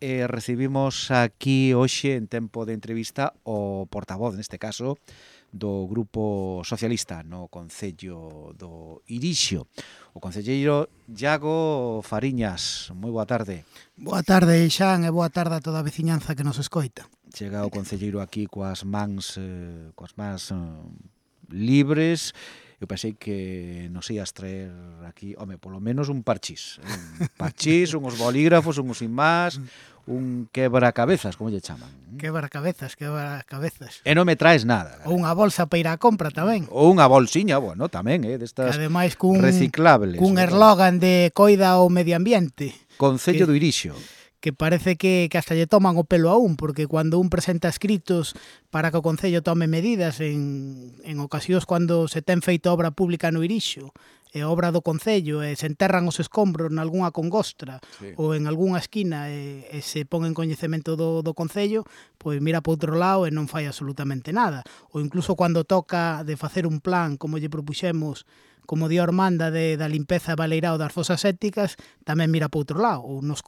recibimos aquí hoxe en tempo de entrevista o portavoz, neste caso, do Grupo Socialista no Concello do Irixo, o concelleiro Iago Fariñas. Moi boa tarde. Boa tarde, Xan, e boa tarde a toda a veciñanza que nos escoita. Chega o concelleiro aquí coas mans libres. Eu pensei que nos ias traer aquí, home, polo menos un parchís. Un parchís, unhos bolígrafos, unhos imás, un quebracabezas, como lle chaman. Quebracabezas. E non me traes nada. Ou unha bolsa para ir á compra tamén. Ou unha bolsiña, bueno, tamén, destas ademais reciclables. Cun eslogan de coida o medio ambiente. Concello do Irixo. Que parece que hasta lle toman o pelo a un, porque cando un presenta escritos para que o Concello tome medidas en ocasións cando se ten feito obra pública no Irixo, e obra do Concello, e se enterran os escombros nalgúnha congostra, sí, ou en algunha esquina, e se pon en coñecemento do Concello, pois mira para outro lado e non fai absolutamente nada. Ou incluso cando toca de facer un plan, como lle propuxemos, como di Ormanda, da limpeza e baleirao das fosas sépticas, tamén mira para outro lado. Ou nos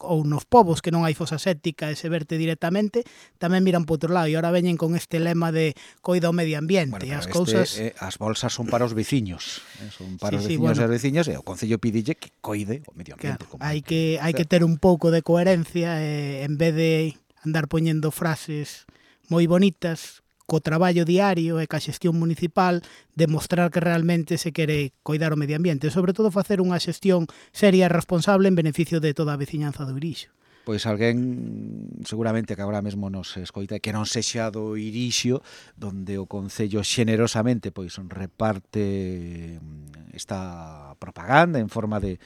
povos que non hai fosa séptica e se verte directamente, tamén miran para outro lado. E ahora veñen con este lema de coida o medio ambiente. Bueno, as cousas... as bolsas son para os veciños. Son para os veciños e as veciñas, e o Concello pidille que coide o medio ambiente. Claro, hai que ter un pouco de coherencia, en vez de andar poñendo frases moi bonitas, co traballo diario e ca xestión municipal, demostrar que realmente se quere coidar o medio ambiente e, sobre todo, facer unha xestión seria e responsable en beneficio de toda a veciñanza do Irixo. Pois alguén, seguramente, que agora mesmo nos escoita, que non sexa do Irixo, donde o Concello xenerosamente pois reparte esta propaganda en forma de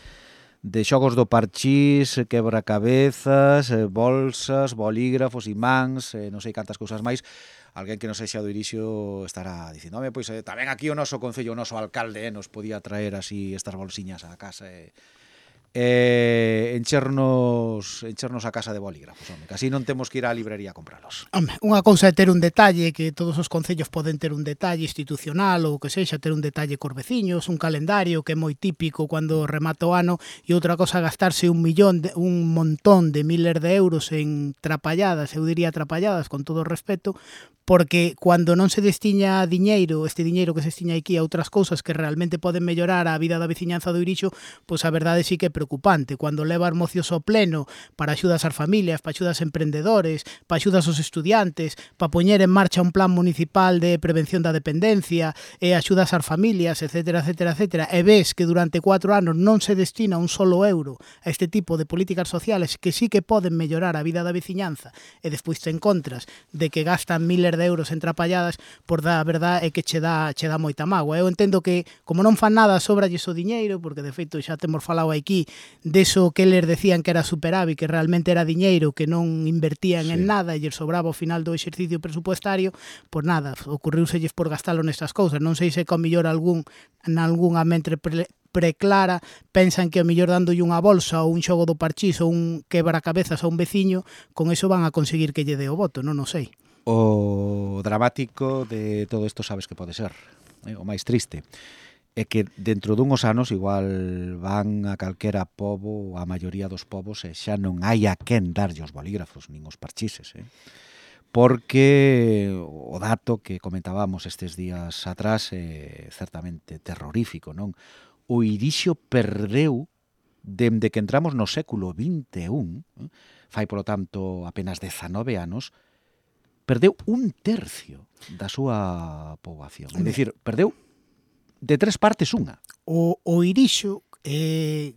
xogos do parchís, quebracabezas, bolsas, bolígrafos, imáns, non sei cantas cousas máis. Alguén que non sexa do Irixo estará dicindo, pois tamén aquí o noso concello, o noso alcalde, nos podía traer así estas bolsiñas á casa enchernos a casa de bolígrafos, home, que así non temos que ir á librería a compralos. Home, unha cousa é ter un detalle, que todos os concellos poden ter un detalle institucional ou que sexa, ter un detalle cos veciños, un calendario que é moi típico cando remata o ano, e outra cosa gastarse un montón de miles de euros en trapalladas, eu diría trapalladas con todo o respeto, porque cando non se destiña diñeiro, este diñeiro que se destiña aquí a outras cousas que realmente poden mellorar a vida da veciñanza do Irixo, pois a verdade sí que é preocupante. Cando leva os mocios ao pleno para axudas ás familias, para axudas a emprendedores, para axudas aos estudiantes, para poñer en marcha un plan municipal de prevención da dependencia e axudas ás familias, etcétera, etcétera, etcétera, e ves que durante 4 anos non se destina un solo euro a este tipo de políticas sociales que sí que poden mellorar a vida da veciñanza, e despois te encontras de que gastan miles de euros en trapalladas, por da verdade é que che dá moita mágoa. Eu entendo que, como non fan nada, sobralles o diñeiro, porque de feito xa temos falado aquí deso que eles decían que era superávit, que realmente era diñeiro que non invertían en nada e lles sobraba ao final do exercicio presupuestario, pois nada, ocurriuselles por gastalo nestas cousas. Non sei se con millor nalgunha mente preclara pensan que o mellor dándolle unha bolsa ou un xogo do parchís ou un quebracabezas a un veciño, con eso van a conseguir que lle dé o voto, non o sei. O dramático de todo isto sabes que pode ser, o máis triste, é que dentro dunhos anos igual van a calquera pobo, a maioría dos povos, e xa non hai a quen darlle os bolígrafos nin os parchises, porque o dato que comentábamos estes días atrás é certamente terrorífico, non? O Irixo perdeu, dende que entramos no século XXI, fai, polo tanto, apenas 19 anos, perdeu 1/3 da súa poboación. É dicir, perdeu de 3 partes unha. O Irixo,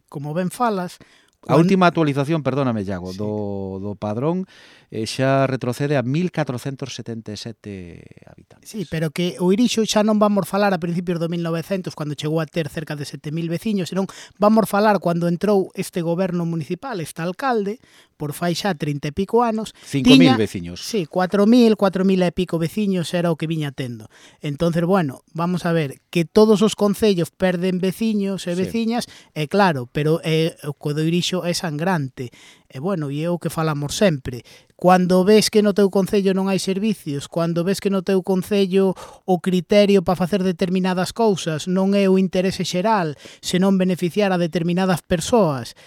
como ben falas... A última actualización, perdóname, Iago, do padrón xa retrocede a 1.477 habitantes. Sí, pero que o Irixo xa non vamos falar a principios do 1900, cando chegou a ter cerca de 7.000 veciños, senón vamos falar cando entrou este goberno municipal, este alcalde, por fai xa 30 e pico anos. 5.000 veciños. Sí, 4.000 e pico veciños era o que viña tendo. Entonces, bueno, vamos a ver, que todos os concellos perden veciños e veciñas, é claro, pero o do Irixo é sangrante. E bueno, e é o que falamos sempre. Cando ves que no teu concello non hai servicios, cando ves que no teu concello o criterio para facer determinadas cousas non é o interese xeral, senón beneficiar a determinadas persoas,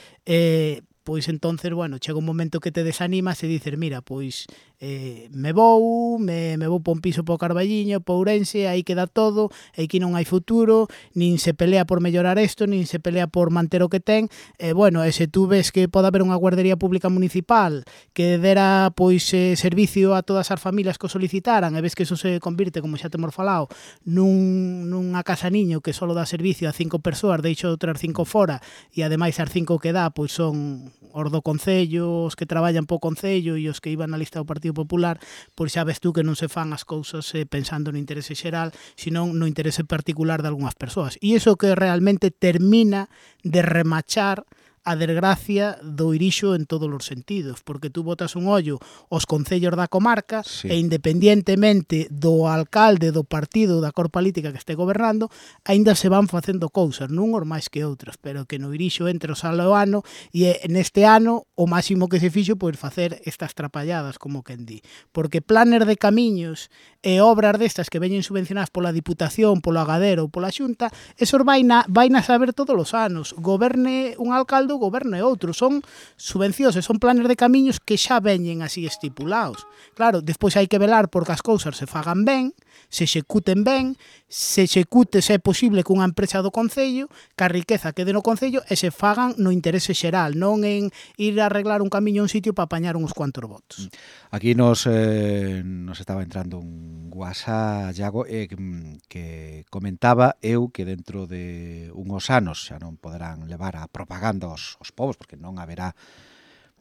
pois entonces, bueno, chega un momento que te desanimas e dices, mira, pois me vou pa un piso po Carballiño, po Ourense, aí queda todo, aquí non hai futuro, nin se pelea por mellorar isto, nin se pelea por manter o que ten, bueno, e se tú ves que pode haber unha guardería pública municipal que dera, pois, servicio a todas as familias que o solicitaran, e ves que eso se convirte, como xa temos falado, nunha casa niño que só dá servicio a 5 persoas, deixo outras 5 fora, e ademais as 5 que dá, pois son os do Concello, os que traballan po Concello e os que iban na lista do Partido Popular, pois xa ves tú que non se fan as cousas pensando no interese xeral, senón no interese particular de algunhas persoas. E iso que realmente termina de remachar a desgracia do Irixo en todos os sentidos, porque tú botas un ollo aos concellos da comarca e independientemente do alcalde, do partido, da cor política que este gobernando, aínda se van facendo cousas, non os máis que outras, pero que no Irixo entre o salo o ano, e neste ano o máximo que se fixo pois facer estas trapalladas, como quen di, porque planes de camiños e obras destas que veñen subvencionadas pola Diputación, polo Agadero ou pola Xunta, esos vaina saber todos os anos, goberne un alcalde, goberne outro, son subvencións e son planes de camiños que xa veñen así estipulados. Claro, despois hai que velar porque as cousas se fagan ben, se executen ben, se execute se é posible cunha empresa do Concello, que a riqueza quede no Concello e se fagan no interese xeral, non en ir a arreglar un camiño a un sitio para apañar uns cuantos votos. Aquí nos estaba entrando un WhatsApp, Iago, que comentaba eu que dentro de unhos anos xa non poderán levar a propaganda os povos, porque non haberá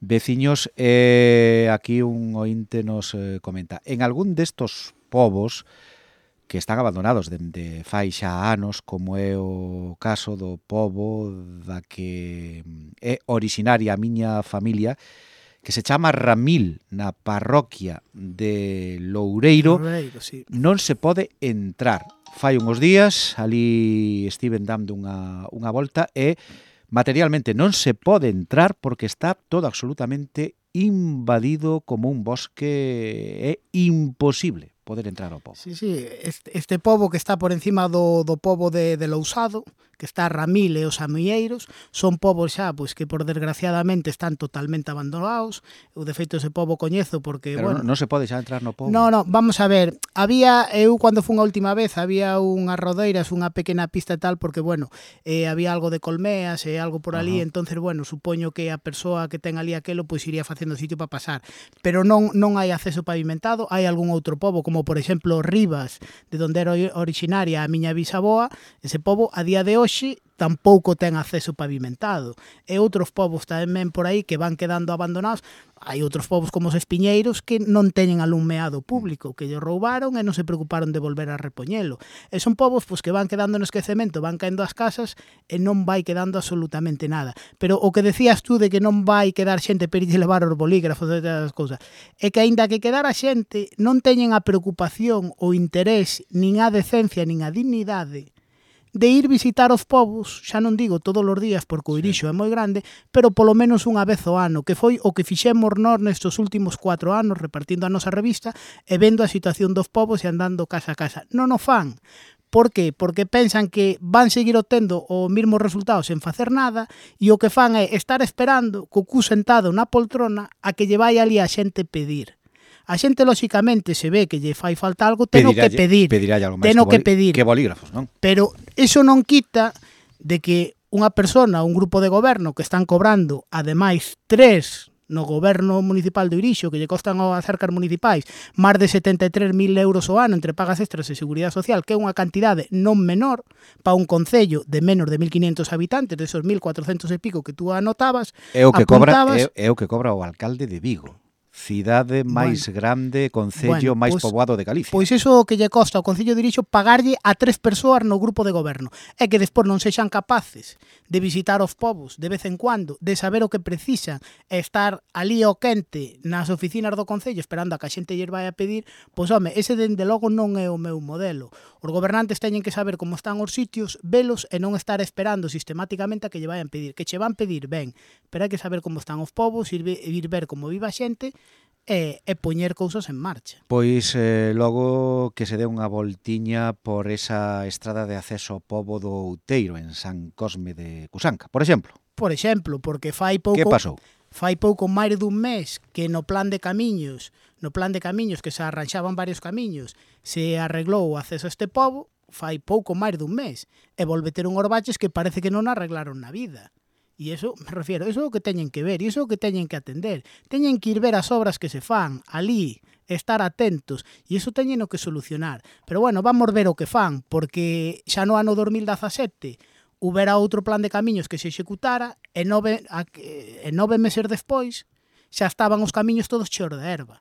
veciños. Aquí un ointe nos comenta, en algún destos povos que están abandonados dende fai xa anos, como é o caso do pobo da que é orixinaria a miña familia, que se chama Ramil, na parroquia de Loureiro, Sí. Non se pode entrar. Fai uns días, ali estiven dando unha volta e materialmente non se pode entrar porque está todo absolutamente invadido como un bosque, é imposible poder entrar ao pobo. Sí, este pobo que está por encima do pobo de Lousado, que está a Ramil e os Amieiros, son povos xa pois que por desgraciadamente están totalmente abandonados. Eu de feito ese pobo coñezo porque, pero bueno, non se pode xa entrar no pobo. No, vamos a ver, eu cando fun a última vez había unhas rodeiras, unha pequena pista e tal, porque, bueno, había algo de colmeas e algo por ali, entonces, bueno, supoño que a persoa que ten ali aquelo, pois iría facendo sitio para pasar, pero non hai acceso pavimentado. Hai algún outro pobo, como por exemplo Rivas, de onde era originaria a miña bisaboa, ese pobo a día de hoxe tampouco ten acceso pavimentado. E outros povos tamén por aí que van quedando abandonados. Hai outros povos como os Espiñeiros que non teñen alumeado público, que lle roubaron e non se preocuparon de volver a repoñelo. E son povos pois, que van quedando no esquecemento, van caendo as casas e non vai quedando absolutamente nada. Pero o que decías tú de que non vai quedar xente per lle levar os bolígrafos e todas as cousas, é que aínda que quedara xente, non teñen a preocupación, o interés, nin a decencia, nin a dignidade de ir visitar os povos, xa non digo todos os días porque o Irixo é moi grande, pero polo menos unha vez ao ano, que foi o que fixemos nós nestes últimos 4 anos repartindo a nosa revista e vendo a situación dos povos e andando casa a casa. Non o fan. Por qué? Porque pensan que van seguir obtendo os mesmos resultados sen facer nada e o que fan é estar esperando co cu sentado na poltrona a que lle vai ali a xente pedir. A xente, lóxicamente, se ve que lle fai falta algo, teno que pedir. Algo máis que pedir. Que bolígrafos, non? Pero eso non quita de que unha persona, un grupo de goberno que están cobrando, ademais, 3 no goberno municipal do Irixo, que lle costan as arcas municipais máis de 73.000 euros ao ano entre pagas extras e seguridade social, que é unha cantidade non menor para un concello de menos de 1.500 habitantes, desos 1.400 e pico que tú anotabas. É o que cobra o alcalde de Vigo. Cidade máis grande, concello máis poboado de Galicia. Pois iso que lle costa ao Concello de Irixo pagarlle a 3 persoas no grupo de goberno. É que despois non sexan capaces de visitar os povos de vez en cuando, de saber o que precisan e estar ali ao quente nas oficinas do Concello esperando a que a xente lle vai a pedir, pois home, ese dende logo non é o meu modelo. Os gobernantes teñen que saber como están os sitios, velos e non estar esperando sistemáticamente a que lle vayan pedir. Que che van pedir, ben, pero hai que saber como están os povos, ir ver como vive a xente e poñer cousas en marcha. Pois logo que se dé unha voltiña por esa estrada de acceso ao pobo do Outeiro en San Cosme de Cusanca, por exemplo. Por exemplo, porque Que pasou? Fai pouco máis dun mes que no plan de camiños que se arranxaban varios camiños, se arreglou o acceso a este pobo, fai pouco máis dun mes, e volve ter un orbaches que parece que non arreglaron na vida. E iso, me refiero, iso é o que teñen que ver, iso é o que teñen que atender. Teñen que ir ver as obras que se fan ali, estar atentos, e iso teñen que solucionar. Pero bueno, vamos ver o que fan, porque xa no ano 2017 houbera outro plan de camiños que se executara e 9 meses despois xa estaban os camiños todos cheos de erva.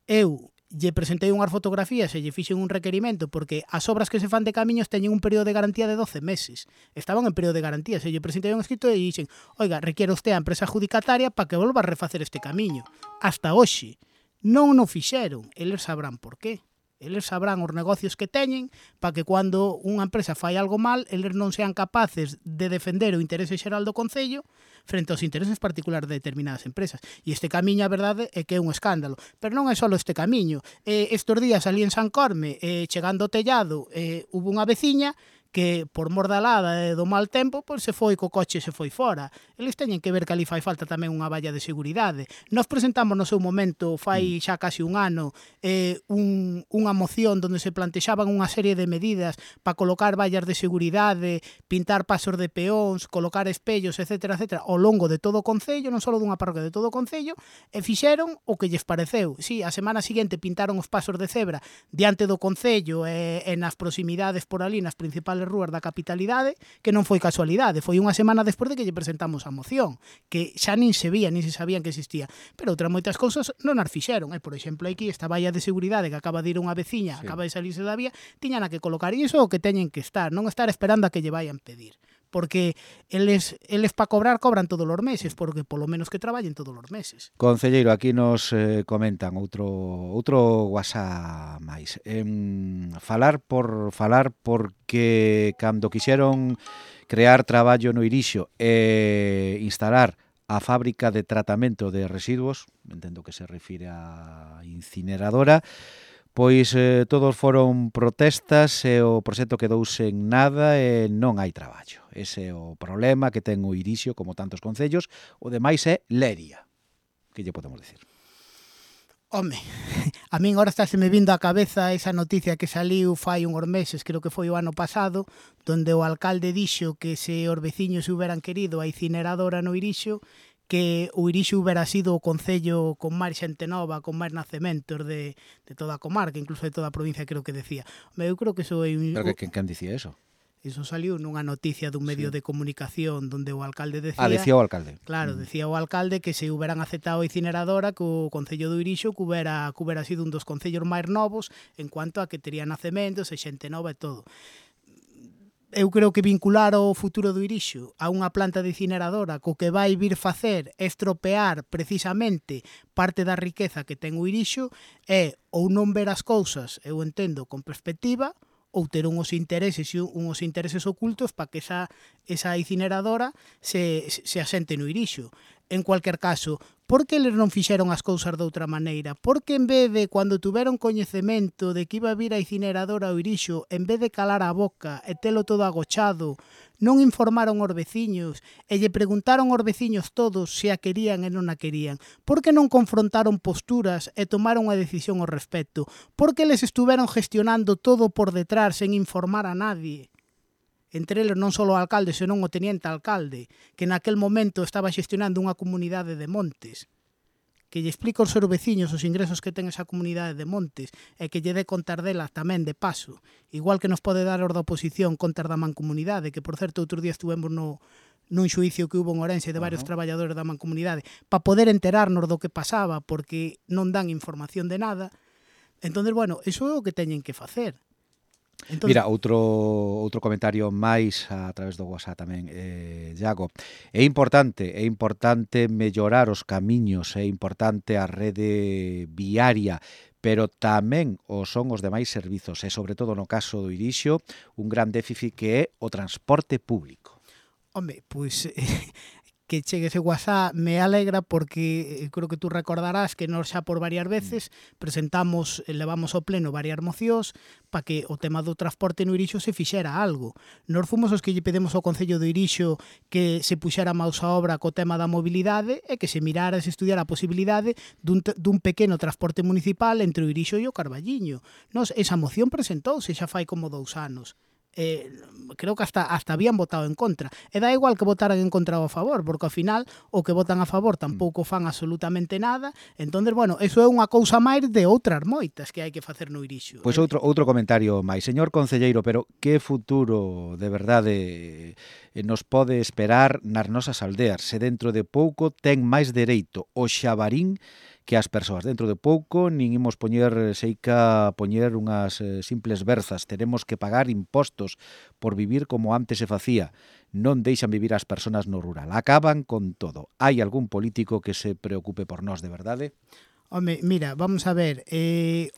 Eu lle presentei unhas fotografías e lle fixen un requerimento porque as obras que se fan de camiños teñen un período de garantía de 12 meses. Estaban en período de garantía. Se lle presentei un escrito e dixen, oiga, requiere usted a empresa adjudicataria para que volva a refacer este camiño. Hasta hoxe non o fixeron. Eles sabrán por qué. Eles sabrán os negocios que teñen para que cando unha empresa fai algo mal, eles non sean capaces de defender o interese xeral do Concello frente aos intereses particulares de determinadas empresas. E este camiño, a verdade, é que é un escándalo. Pero non é só este camiño. Estos días ali en San Corme, chegando ao tellado, hubo unha veciña que por mor da helada e do mal tempo, pois se foi co coche e se foi fora. Eles teñen que ver que ali fai falta tamén unha valla de seguridade. Nos presentamos no seu momento, fai xa casi un ano, unha moción onde se plantexaban unha serie de medidas para colocar vallas de seguridade, pintar pasos de peóns, colocar espellos, etcétera, etcétera, ao longo de todo o Concello, non só dunha parroquia, de todo o Concello, e fixeron o que lles pareceu. Si, a semana seguinte pintaron os pasos de cebra diante do Concello e nas proximidades por ali, nas principales rúas da capitalidade, que non foi casualidade, foi unha semana despois de que lle presentamos a moción, que xa nin se vía, nin se sabían que existía. Pero outras moitas cousas non as fixeron. Por exemplo, aquí esta valla de seguridade que acaba de ir unha veciña, acaba de salirse da vía, tiñan a que colocar. E iso é o que teñen que estar, non estar esperando a que lle vayan pedir. Porque eles para cobrar cobran todos os meses, porque polo menos que traballen todos os meses. Concelleiro, aquí nos comentan outro WhatsApp máis. Falar porque cando quixeron crear traballo no Irixo e instalar a fábrica de tratamento de residuos, entendo que se refire á incineradora, pois todos foron protestas e o proxecto quedou sen nada e non hai traballo. Ese é o problema que ten o Irixo, como tantos concellos. O demais é leria. Que lle podemos dicir? Home, a min agora estáse-me vindo á cabeza esa noticia que saliu fai uns meses, creo que foi o ano pasado, donde o alcalde dixo que se os veciños hubieran querido a incineradora no Irixo, que o Irixo hubiera sido o concello con máis xente nova, con máis nacementos de toda a comarca, incluso de toda a provincia, creo que decía. Eu creo que eso é Pero quen dicía eso? Iso saliu nunha noticia dun medio de comunicación donde o alcalde decía... Decía o alcalde. Claro, decía o alcalde que se hubieran aceptado a incineradora que o Concello do Irixo que hubera sido un dos concellos máis novos en cuanto a que tería nacementos e xente nova e todo. Eu creo que vincular o futuro do Irixo a unha planta de incineradora co que vai vir facer estropear precisamente parte da riqueza que ten o Irixo é ou non ver as cousas, eu entendo, con perspectiva, ou ter uns intereses ocultos para que esa incineradora se asente no Irixo. En cualquier caso, por que eles non fixeron as cousas de outra maneira? Por que en vez de, cando tuveron coñecemento de que iba a vir a incineradora ao Irixo, en vez de calar a boca e telo todo agochado, non informaron aos veciños e lle preguntaron aos veciños todos se a querían e non a querían? Por que non confrontaron posturas e tomaron unha decisión ao respecto? Por que eles estuveron gestionando todo por detrás sen informar a nadie? Entre eles non só o alcalde, senón o teniente alcalde, que naquel momento estaba xestionando unha comunidade de montes, que lle explica aos seus veciños os ingresos que ten esa comunidade de montes e que lle dé contar dela tamén de paso, igual que nos pode dar os da oposición contar da mancomunidade, que por certo outro día estuvemos nun xuicio que hubo en Ourense de varios traballadores da mancomunidade para poder enterarnos do que pasaba porque non dan información de nada. Entón, bueno, iso é o que teñen que facer. Entonces... Mira, outro comentario máis a través do WhatsApp tamén, Iago. É importante mellorar os camiños, é importante a rede viaria, pero tamén o son os demais servizos, e sobre todo no caso do Irixo, un gran déficit que é o transporte público. Home, pois que chegue ese WhatsApp me alegra porque creo que tú recordarás que nós xa por varias veces presentamos, levamos ao pleno varias mocións para que o tema do transporte no Irixo se fixera algo. Nós fomos os que lle pedimos ao Concello do Irixo que se puxera maus a obra co tema da mobilidade e que se mirara, se estudiara a posibilidade dun pequeno transporte municipal entre o Irixo e o Carballiño. Nos, esa moción presentouse xa fai como 2 anos. Creo que hasta habían votado en contra. E dá igual que votaran en contra ou a favor, porque ao final o que votan a favor tampouco fan absolutamente nada. Entonces, bueno, eso é unha cousa máis de outras moitas que hai que facer no Irixo. Pois outro comentario máis. Señor concelleiro, pero que futuro de verdade nos pode esperar nas nosas aldeas se dentro de pouco ten máis dereito o xabarín que as persoas? Dentro de pouco nin imos poñer unhas simples berzas, teremos que pagar impostos por vivir como antes se facía. Non deixan vivir as persoas no rural, acaban con todo. Hai algún político que se preocupe por nós de verdade? Home, mira, vamos a ver,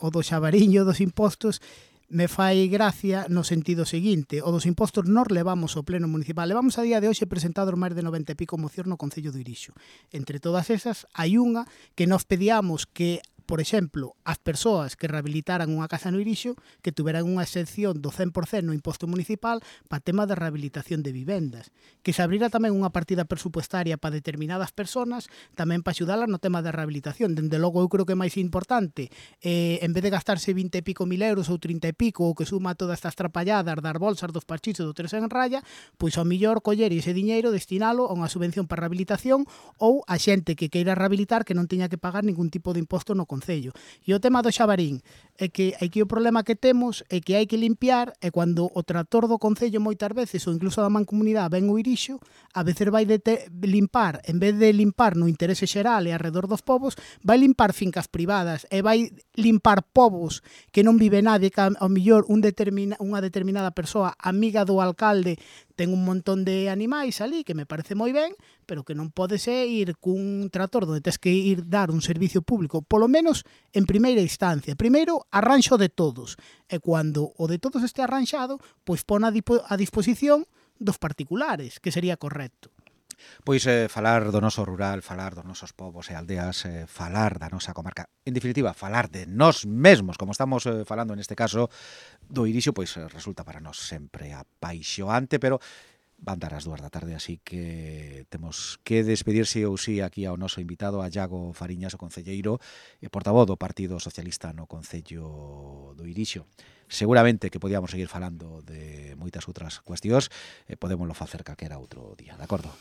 o do xabariño dos impostos me fai gracia no sentido seguinte: o dos impostos nós levamos ao pleno municipal, levamos a día de hoxe presentados máis de 90 e pico mocións no Concello do Irixo. Entre todas esas, hai unha que nós pedíamos que, por exemplo, as persoas que rehabilitaran unha casa no Irixo que tuveran unha excepción do 100% no imposto municipal para tema de rehabilitación de vivendas, que se abrira tamén unha partida presupuestaria para determinadas persoas tamén para axudalas no tema de rehabilitación. Dende logo, eu creo que é máis importante, en vez de gastarse 20 e pico mil euros ou 30 e pico, o que suma todas estas trapalladas das bolsas, dos parchitos, do 3 en raya, pois ao millor coller ese diñeiro, destinalo a unha subvención para rehabilitación ou a xente que queira rehabilitar que non teña que pagar ningún tipo de imposto no Concello. E o tema do xabarín é que aquí o problema que temos é que hai que limpiar, e cando o tractor do Concello moitas veces ou incluso da Mancomunidade ven o Irixo, a veces vai limpar, en vez de limpar no interese xeral e alrededor dos povos, vai limpar fincas privadas e vai limpar povos que non vive nadie, que ao millor unha determinada persoa amiga do alcalde ten un montón de animais ali, que me parece moi ben, pero que non pode ser ir cun tractor onde tes que ir dar un servicio público, polo menos en primeira instancia. Primeiro, arranxo de todos, e cando o de todos este arranxado, pois pon a disposición dos particulares, que sería correcto. Pois falar do noso rural, falar dos nosos povos e aldeas, falar da nosa comarca, en definitiva, falar de nós mesmos, como estamos falando neste caso do Irixo, pois resulta para nós sempre apaixoante, pero van dar as 2 da tarde, así que temos que despedirse ou si aquí ao noso invitado, a Iago Fariñas, o concelleiro e portavoz do Partido Socialista no Concello do Irixo. Seguramente que podíamos seguir falando de moitas outras cuestións, podémoslo facer calquera outro día, de acordo?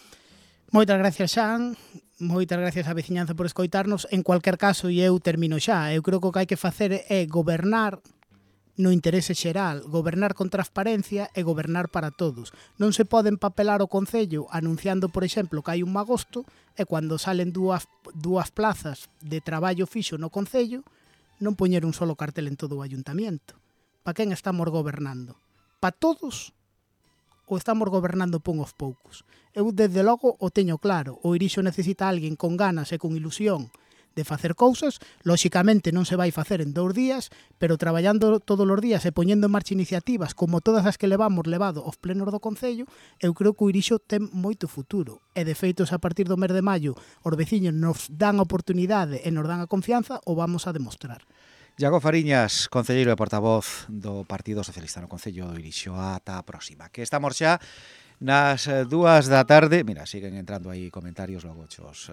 Moitas gracias, Xan, moitas gracias á veciñanza por escoitarnos. En cualquier caso, e eu termino xa, eu creo que o que hai que facer é gobernar no interese xeral, gobernar con transparencia e gobernar para todos. Non se pode empapelar o Concello anunciando, por exemplo, que hai un magosto, e cando salen dúas plazas de traballo fixo no Concello, non poñer un solo cartel en todo o Ayuntamiento. Para quen estamos gobernando? Para todos? Ou estamos gobernando por uns poucos? Eu, desde logo, o teño claro. O Irixo necesita alguén con ganas e con ilusión de facer cousas. Lóxicamente non se vai facer en 2 días, pero traballando todos os días e poñendo en marcha iniciativas como todas as que levado aos plenos do Concello, eu creo que o Irixo ten moito futuro. E, de feito, a partir do mes de maio os veciños nos dan a oportunidade e nos dan a confianza, o vamos a demostrar. Iago Fariñas, concelleiro e portavoz do Partido Socialista no Concello do Irixo. Ata a próxima, que estamos xa nas 2 da tarde. Mira, siguen entrando aí comentarios, logo chos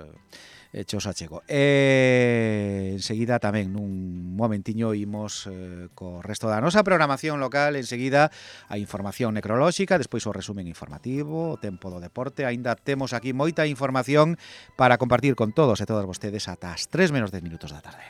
achego. Enseguida tamén, nun momentiño, imos co resto da nosa programación local. Enseguida a información necrolóxica, despois o resumen informativo, o tempo do deporte. Aínda temos aquí moita información para compartir con todos e todas vostedes ata as 3 menos 10 minutos da tarde.